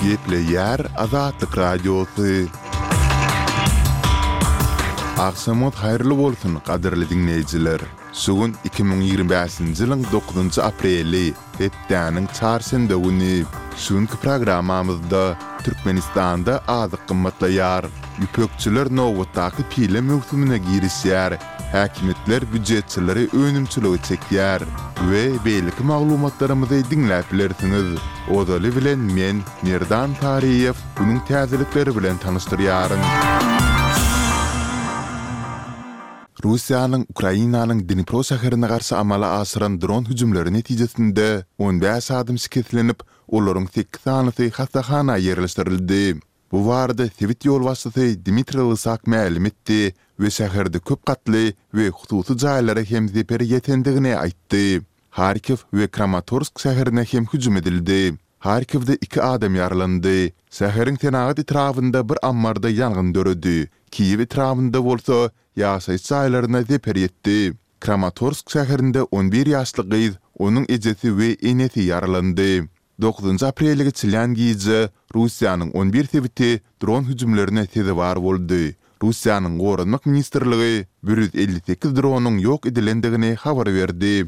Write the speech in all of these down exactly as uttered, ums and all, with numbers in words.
Gepleýär Azatlyk Radiosy. Agşamyňyz haýyrly bolsun, gadyrly diňleýjiler! Şu gün iki müň ýigrimi bäşinji ýylyň dokuzynjy apreli, hepdäniň çarşenbe güni. Şu günki programmamyzda Türkmenistanda azyk gymmatlaýar, ýüpekçiler nobatdaky pile möwsümine girişýär, häkimiýetler býujetçileri önümçilige çekýär we beýleki maglumatlarymyzy diňläp bilersiňiz. Ozaly bilen men, Merdan Taryýew, günüň täzelikleri bilen tanyşdyrýaryn. Russiýanyň Ukrainanyň Dnipro şäherine garşy amala aşyran dron hüjümleri netijesinde on bäş adam şikeslenip, olaryň sekiz sanysy hassahana ýerleşdirildi. Bu barada sebit ýolbaşçysy Dmitriý Lysak mälim etdi we şäherde köp gatly we hususy jaýlara hem zeper ýetendigini aýtdy. Harkiw we Kramatorsk şäherine hem hüjüm edildi. Harkiwde iki adam ýaralandy. Şäheriň senagat etrabynda bir ammarda ýangyn döredi. Kiýew etrabynda bolsa ýaşaýyş jaýlaryna zeper ýetdi. Kramatorsk şäherinde on bir ýaşly gyz, onuň ejesi we enesi ýaralandy. Dokuzynjy aprelde geçilýän gije Russiýanyň on bir sebiti dron hüjümlerine sezewar boldy. Russiýanyň Goranmak ministrligi bir ýüz elli sekiz dronyň ýok edilendigini habar berdi.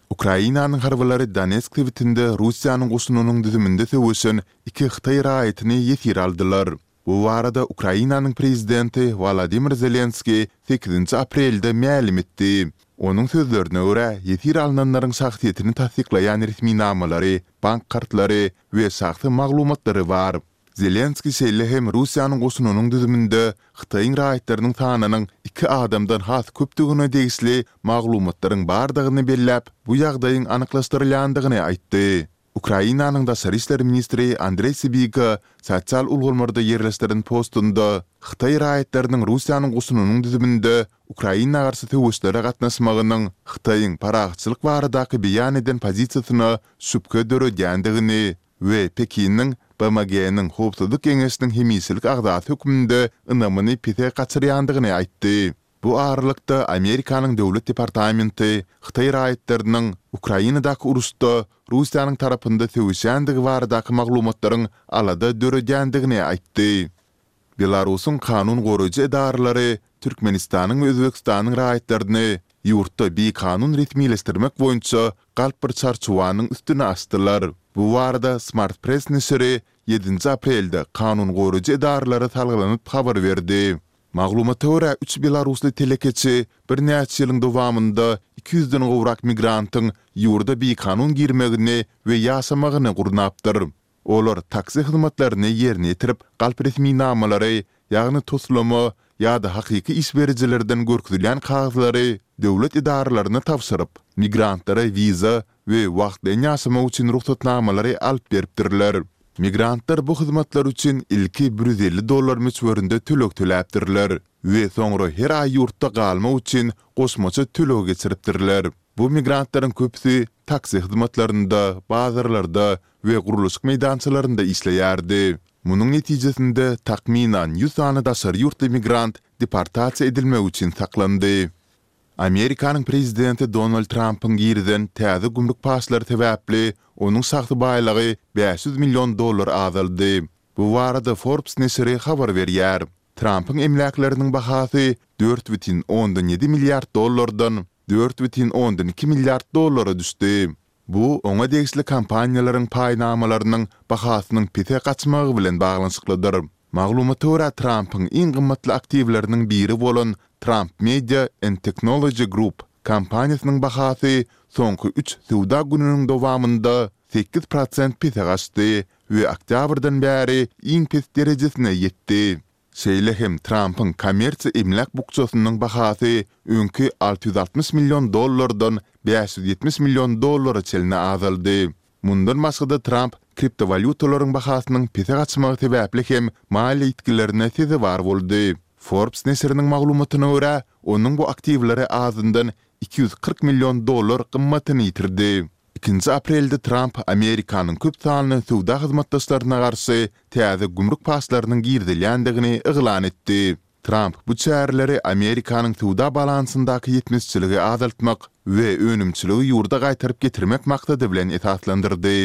Ukrainanyň harbylary Donetsk sebitinde Russiýanyň goşunynyň düzüminde söweşen iki hytaý raýatyny ýesir aldylar. Bu barada Ukrainanyň prezidenti Wolodymyr Zelenskiý sekizinji aprelde mälim etdi. Onuň sözlerine görä, ýesir alnanlaryň şahsyýetini tassyklaýan resminamalary, bank kartlary we şahsy maglumatlary bar. Zelenskiý şeýle hem Russiýanyň goşunynyň düzüminde Hytaýyň raýatlarynyň sanynyň iki adamdan has köpdügine degişli maglumatlaryň bardygyny belläp, bu ýagdaýyň anyklaşdyrylýandygyny aýtdy. Ukrainanyň daşary işler ministri Andreý Sibiga sosial ulgamlarda ýerleşdiren postunda hytaý raýatlarynyň Russiýanyň goşunynyň düzüminde Ukraina garşy söweşlere gatnaşmagynyň Hytaýyň parahatçylyk baradaky beýan eden pozisiýasyna şübhe döredýändigini we Pekiniň BMG-niň Howpsuzlyk Geňeşiniň hemişelik agzasy hökmünde ynamyny pese gaçyrýandygyny aýtdy. Bu aralykda, Amerikanyň Döwlet departamenti hytaý raýatlarynyň Ukrainadaky uruşda Russiýanyň tarapynda söweşýändigi baradaky maglumatlaryň alada döredýändigini aýtdy. Belarusyň kanun goraýjy edaralary Türkmenistanyň we Özbegistanyň raýatlaryny ýurtda bikanun resmileşdirmek boýunça galp bir çarçuwanyň üstüni açdylar. Bu barada Smart Press neşiri ýedinji aprelde kanun goraýjy edaralara salgylanyp habar berdi. Maglumata görä, üç belarusly telekeçi birnäçe ýylyň dowamynda iki ýüzden gowrak migrantyň ýurda bikanun girmegini we ýaşamagyny gurnapdyr. Olar taksi hyzmatlaryny ýerine ýetirip, galp resminamalary, ýagny toslama ýa-da hakyky iş berijilerden görkezilýän kagyzlary döwlet edaralaryna tabşyryp, migrantlara wiza we wagtlaýyn ýaşamak üçin rugsatnamalary alyp beripdirler. Migrantlar bu hyzmatlar üçin ilki bir ýüz elli dollar möçberinde töleg töläpdirler we soňra her aý ýurtda galmak üçin goşmaça töleg geçiripdirler. Bu migrantlaryň köpüsi taksi hyzmatlarynda, bazarlarda we gurluşyk meýdançalarynda işleýärdi. Munuň netijesinde, takmynan ýüz sany daşary ýurtly migrant deportasiýa edilmek üçin saklandy. Amerikanyň prezidenti Donald Trampyň girizen täze gümrük paçlary sebäpli onuň şahsy baýlygy bäş ýüz million dollar azaldy. Bu barada Forbes neşiri habar berýär. Trampyň emläkleriniň bahasy dört bütin ondan ýedi milliard dollardan dört bütin ondan iki milliard dollara düşdi. Bu oňa degişli kompaniýalaryň paýnamalarynyň bahasynyň pese gaçmagy bilen baglanyşyklydyr. Maglumata görä, Trampyň iň gymmatly aktiwleriniň biri bolan Trump Media and Technology Group kompaniýasynyň bahasy soňky üç söwda gününiň dowamynda sekiz prosent pese gaçdy we oktýabrdan bäri iň pes derejesine ýetdi. Şeýle hem Trampyň kommersiýa emläk bukjasynyň bahasy öňki alty ýüz altmyş million dollardan bäş ýüz ýetmiş million dollara çenli azaldy. Mundan başga-da Tramp kriptowalýutalaryň bahasynyň pese gaçmagy sebäpli hem maliýe ýitgilerine sezewar boldy. Forbes neşiriniň maglumatyna görä, onuň bu aktiwleri azyndan iki ýüz kyrk million dollar gymmatyny ýitirdi. Ikinji aprelde Tramp Amerikanyň köp sanly söwda hyzmatdaşlaryna garşy täze gümrük paçlarynyň girizilýändigini yglan etdi. Tramp bu çäreleri Amerikanyň söwda balansyndaky ýetmezçiligi azaltmak we önümçiligi ýurda gaýtaryp getirmek maksady bilen esaslandyrdy.